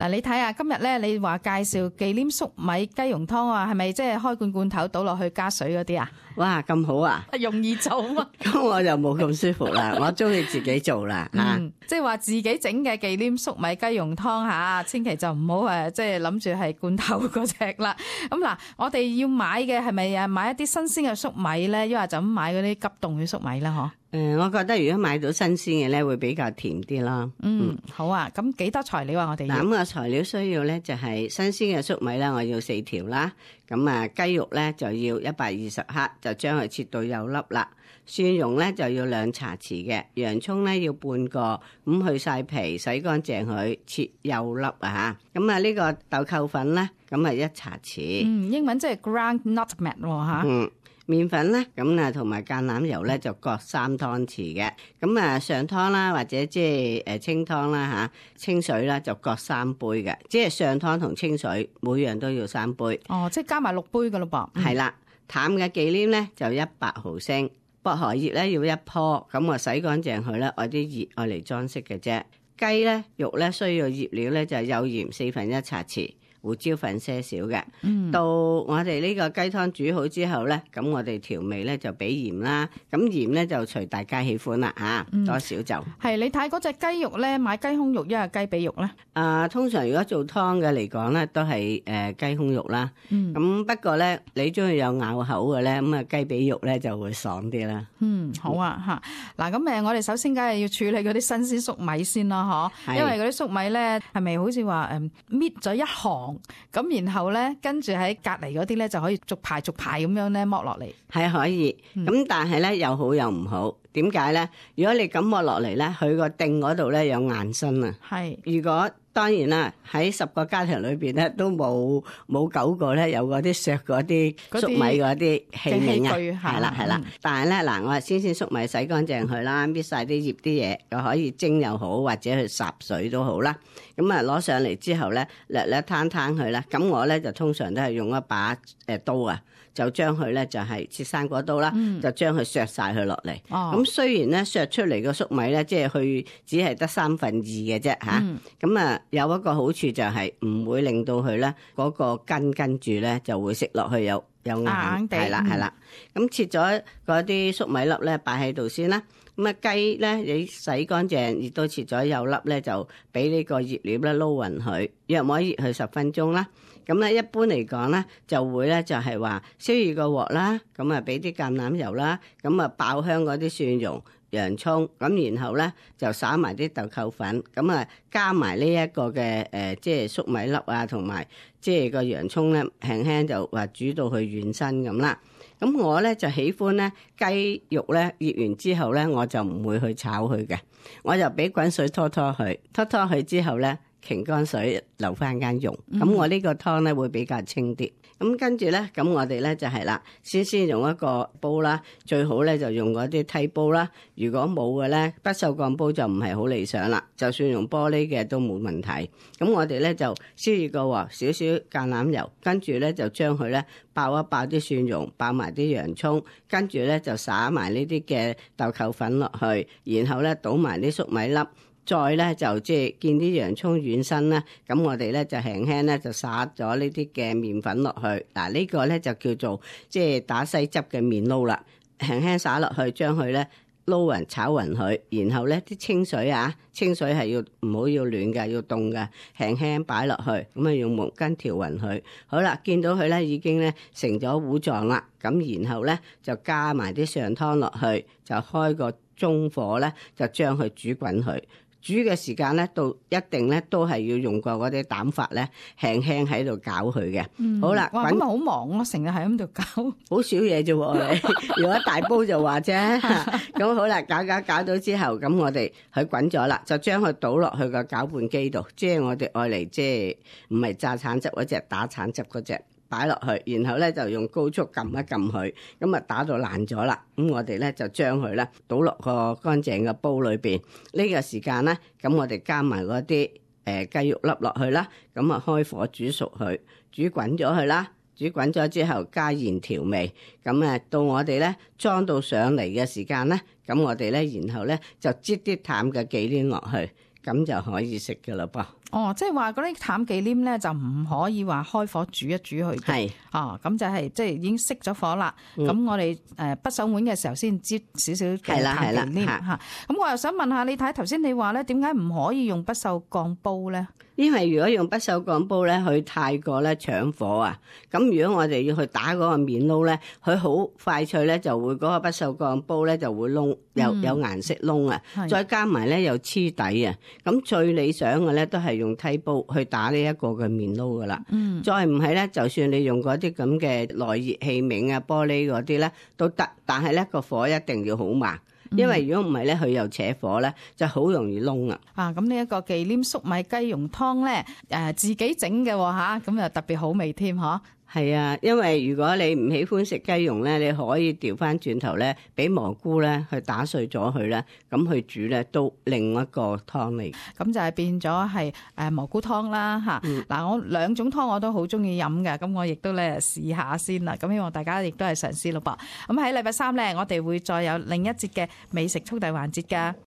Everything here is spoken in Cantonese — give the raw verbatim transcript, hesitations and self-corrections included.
嗱，你睇下今日咧，你話介紹忌廉粟米雞蓉湯啊，係咪即係開罐罐頭倒落去加水嗰啲啊？哇，咁好啊！容易做啊！咁我就冇咁舒服啦，我中意自己做啦吓。嗯，即係話自己整嘅忌廉粟米雞蓉湯吓，千祈就唔好誒，即係諗住係罐頭嗰隻啦。咁嗱，我哋要買嘅係咪啊？買一啲新鮮嘅粟米咧，抑或就咁買嗰啲急凍嘅粟米啦？嗬。誒，我覺得如果買到新鮮嘅咧，會比較甜啲啦。嗯，好啊。咁幾多材料啊？我哋嗱，咁個材料需要咧就係新鮮嘅粟米啦，我要四條啦。咁啊，雞肉咧就要一百二十克，就將佢切到幼粒啦。蒜蓉咧就要兩茶匙嘅，洋蔥咧要半個，咁去晒皮，洗乾淨佢，切幼粒啊嚇。咁啊呢個豆蔻粉咧，咁啊一茶匙。嗯，英文即係 ground nutmeg 喎嚇。嗯。麵粉咧，咁啊同埋橄欖油咧就各三湯匙嘅，咁啊上湯啦或者即係誒清湯啦嚇，清水啦就各三杯嘅，即係上湯同清水每樣都要三杯。哦，即係加埋六杯噶咯噃。係啦，淡嘅忌廉咧就一百毫升，薄荷葉咧要一棵，咁我洗乾淨佢咧，愛啲葉愛嚟裝飾嘅啫。雞咧肉咧需要醃料咧就係有鹽四分一茶匙。胡椒粉些少嘅，嗯、到我哋呢個雞湯煮好之後咧，咁我哋調味咧就俾鹽啦，咁鹽咧就隨大家喜歡啦嚇，嗯、多少就係。你睇嗰隻雞肉咧，買雞胸肉一係雞髀肉咧？啊，通常如果做湯嘅嚟講咧，都係誒雞胸肉啦。咁、嗯、不過咧，你中意有咬口嘅咧，咁啊雞髀肉咧就會爽啲啦。嗯，好啊嚇。嗱咁誒，我哋首先梗係要處理嗰啲新鮮粟米先啦，嗬。因為嗰啲粟米咧係咪好似話誒搣咗一行？咁然後咧，跟住喺隔離嗰啲咧就可以逐排逐排咁樣咧剝落嚟，係可以。咁、嗯、但係咧又好又唔好，點解咧？如果你咁剝落嚟咧，佢個頂嗰度咧有硬身啊。係，如果當然啦，喺十個家庭裏邊咧都冇冇九個咧有嗰啲削嗰啲粟米嗰啲器皿啊。係啦係啦，嗯、但係咧嗱，我係先先粟米洗乾淨佢啦，搣晒啲葉啲嘢，又可以蒸又好，或者去霎水都好啦。咁啊攞上嚟之後咧，略略攤攤佢啦。咁我咧就通常都係用一把誒刀啊，就將佢咧就係切生果刀啦，嗯、就將佢削晒佢落嚟。咁、哦、雖然咧削出嚟個粟米咧，即係佢只係得三分二嘅啫嚇。咁啊、嗯、有一個好處就係唔會令到佢咧嗰個根跟住咧就會食落去有有硬，係啦係啦。咁切咗嗰啲粟米粒咧擺喺度先啦。咁啊雞咧，你洗乾淨，亦都切咗幼粒咧，就俾呢個熱料咧撈勻佢，約摸熱佢十分鐘啦。咁咧一般嚟講咧，就會咧就係話燒熱個鑊啦，咁啊俾啲橄欖油啦，咁啊爆香嗰啲蒜蓉、洋葱，咁然後咧就撒埋啲豆蔻粉，咁啊加埋呢一個嘅誒，即係粟米粒啊，同埋即係個洋葱咧，輕輕就話煮到佢軟身咁啦。咁我咧就喜歡咧雞肉咧醃完之後咧，我就唔會去炒佢嘅，我就俾滾水拖拖佢，拖拖佢之後咧，擎乾水留翻間溶，咁、嗯、我呢個湯咧會比較清啲。咁跟住咧，咁我哋咧就係啦，先先用一個煲啦，最好咧就用嗰啲梯煲啦。如果冇嘅咧，不鏽鋼煲就唔係好理想啦。就算用玻璃嘅都冇問題。咁我哋咧就燒熱個鑊，少少橄欖油，跟住咧就將佢咧爆一爆啲蒜蓉，爆埋啲洋葱，跟住咧就撒埋呢啲嘅豆蔻粉落去，然後咧倒埋啲粟米粒。再咧就即係見啲洋葱軟身啦，咁我哋咧就輕輕咧就撒咗呢啲嘅麵粉落去。嗱、這個、呢個咧就叫做即係打西汁嘅麵撈啦，輕輕撒落去，將佢咧撈勻炒勻佢，然後咧啲清水啊，清水係要唔好要暖嘅，要凍嘅，輕輕擺落去，咁啊用毛巾調勻佢。好啦，見到佢咧已經咧成咗糊狀啦，咁然後咧就加埋啲上湯落去，就開個中火咧，就將佢煮滾佢。煮嘅時間咧，到一定咧都係要用過嗰啲膽法咧，輕輕喺度攪佢嘅。嗯、好啦，哇，咁啊好忙咯，成日喺咁度攪，好少嘢啫喎。如果大煲就話啫。咁好啦，攪攪攪到之後，咁我哋佢滾咗啦，就將佢倒落去個攪拌機度，即係我哋愛嚟即係唔係榨橙汁嗰隻，打橙汁嗰隻。擺落去，然後咧就用高速撳一撳佢，咁啊打到爛咗啦。咁我哋咧就將佢咧倒落個乾淨嘅煲裏邊。呢、這個時間咧，咁我哋加埋嗰啲誒雞肉粒落去啦。咁啊開火煮熟佢，煮滾咗佢啦。煮滾咗之後加鹽調味。咁啊到我哋咧裝到上嚟嘅時間咧，咁我哋咧然後咧就擠啲淡嘅忌廉落去。咁就可以食嘅啦噃。哦，即係話嗰啲淡忌廉咧就唔可以話開火煮一煮佢嘅。係哦，咁就係即係已經熄咗火啦。咁、嗯、我哋誒不手碗嘅時候先擠少少嘅淡忌廉嚇。咁我又想問下你睇頭先你話咧，點解唔可以用不鏽鋼煲咧？因為如果用不鏽鋼煲咧，佢太過咧搶火啊。咁如果我哋要去打嗰個麵撈咧，佢好快脆咧，就會嗰個不鏽鋼煲咧就會燶，有有顏色燶啊。再加埋咧又黐底啊。咁最理想嘅咧都係用梯煲去打呢一個嘅麵撈噶啦。嗯。再唔係咧，就算你用嗰啲咁嘅耐熱器皿啊、玻璃嗰啲咧都得，但係咧個火一定要好慢。因為如果唔係咧，佢又扯火咧，就好容易燶啊！啊，咁呢一個忌廉粟米雞蓉湯咧，誒自己整嘅吓，咁又特別好味添，嗬。係啊，因為如果你唔喜歡食雞蓉咧，你可以調翻轉頭咧，俾蘑菇咧去打碎咗佢咧，咁去煮咧都另一個湯嚟。咁就係變咗係誒蘑菇湯啦嚇。嗱、嗯，我兩種湯我都好中意飲嘅，咁我亦都咧試下先啦。咁希望大家亦都係嘗試咯噃。咁喺禮拜三咧，我哋會再有另一節嘅美食速遞環節㗎。